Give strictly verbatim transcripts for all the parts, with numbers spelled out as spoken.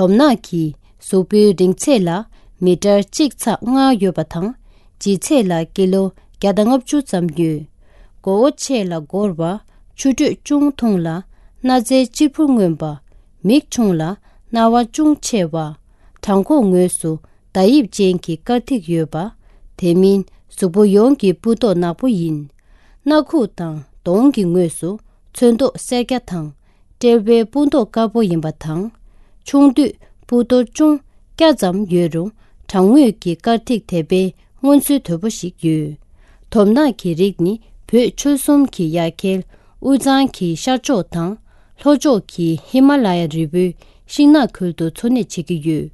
དོམ་ནག་གི་གཟུགས་པོའི་རིང་ཚད་ལ་མི་ཊར་གཅིག་ཚེག་ལྔ་ཡོད་པ་དང་། ལྗིད་ཚད་ལ་ཀི་ལོ་བརྒྱ་དང་ལྔ་བཅུ་ཙམ་ཡོད། མགོ་བོ་ཆེ་ལ་སྒོར་བ། མཆུ་སྒྲོས་ཅུང་ཐུང་ལ་སྣ་རྩེ་གཅེར་བུར་མངོན་པ། མིག་ཆུང་ལ་རྣ་བ་ཅུང་ཆེ་བ། བྲང་ཁོག་ངོས་སུ་མདའ་དབྱིབས་ཅན་གྱི་དཀར་ཐིག་ཡོད་པ། དེ་མིན་གཟུགས་པོ་ཡོངས་ཀྱི་སྤུ་མདོག་ནག་པོ་ཡིན། སྣ་ཁུག་དང་གདོང་གི་ངོས་སུ་ཚོན་མདོག་སེར་སྐྱ་དང་། དཔྲལ་བའི་སྤུ་མདོག་དཀར་པོ་ཡིན་པ་དང་། ཆུང་དུས་སྤུ་མདོག་ཅུང་སྐྱ་ཙམ་ཡོད་རུང་། བྲང་ངོས་ཀྱི་དཀར་ཐིག་དེ་དཔེ་མངོན་ཚུལ་དོད་པོ་ཞིག་ཡོད། དོམ་ནག་གི་རིགས་ནི་བོད་ཆོལ་གསུམ་གྱི་ཡ་གྱལ་དབུས་གཙང་གི་ཤར་ཕྱོགས་དང་། ལྷོ་ཕྱོགས་ཀྱི་ཧི་མ་ལ་ཡ་རི་བོའི་ཤིང་ནགས་ཁུལ་དུ་འཚོ་གནས་བྱེད་ཀྱི་ཡོད།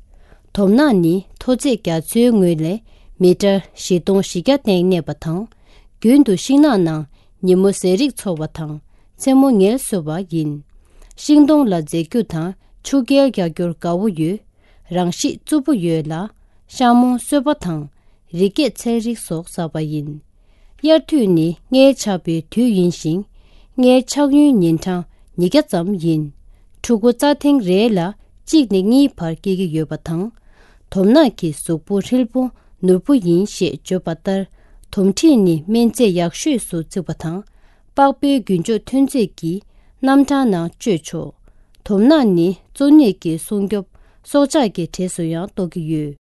དོམ་ནག་ནི་མཐོ་ཚད་རྒྱ་མཚོའི་ངོས་ལས་མི་ཊར་བཞི་སྟོང་བཞི་བརྒྱ་སྟེང་གནས་པ་དང་། རྒྱུན་དུ་ཤིང་ནགས་ནང་ཉིན་མོ་ཟས་རིགས་འཚོ་བ་དང་། མཚན་མོ་ངལ་གསོ་བ་ཡིན། ཤིང་སྡོང་ལ་འཛེག་རྒྱུ་དང་ཆུ་རྐྱལ་རྒྱག་རྒྱུར་དགའ་བོ་ཡོད། རང་གཤིས་རྩུབ་པོ་ཡོད་ལ། ཤ་མོ་གསོད་པ་དང་། རི་སྐྱེད་ཚལ་རིགས་སོགས་ཟ་བ་ཡིན། དབྱར་དུས་ནི་མངལ་ཆགས་པའི་དུས་ཡིན་ཞིང་། མངལ་ཆགས་ཡུན་ཉིན་གྲངས་ཉིས་བརྒྱ་ཙམ་ཡིན། ཕྲུ་གུ་རྩྭ་ཐེངས་རེ་ལ་གཅིག་ནས་གཉིས་བར་སྐྱེ་གི་ཡོད་པ་དང་། དོམ་ནག་གི་གཟུགས་པོ་ཧྲིལ་པོ་ནོར་བུ་ཡིན་ཞེས་བརྗོད་པ་ལྟར། དོམ་མཁྲིས་ནི་སྨན་རྫས་ཡག་ཤོས་སུ་བརྩི་བ་དང་། པགས་པའི་རྒྱུན་སྤྱོད་ཐོན་རྫས་ཀྱི་རྣམ་གྲངས་ནང་སྤྱོད་ཆོག། དོམ་ནག་ནི་གཙོ་གནད་ཀྱི་སྲུང་སྐྱོབ་སྲོག་ཆགས་ཀྱི་གྲས་སུ་ཡང་གཏོགས་ཀྱི་ཡོད།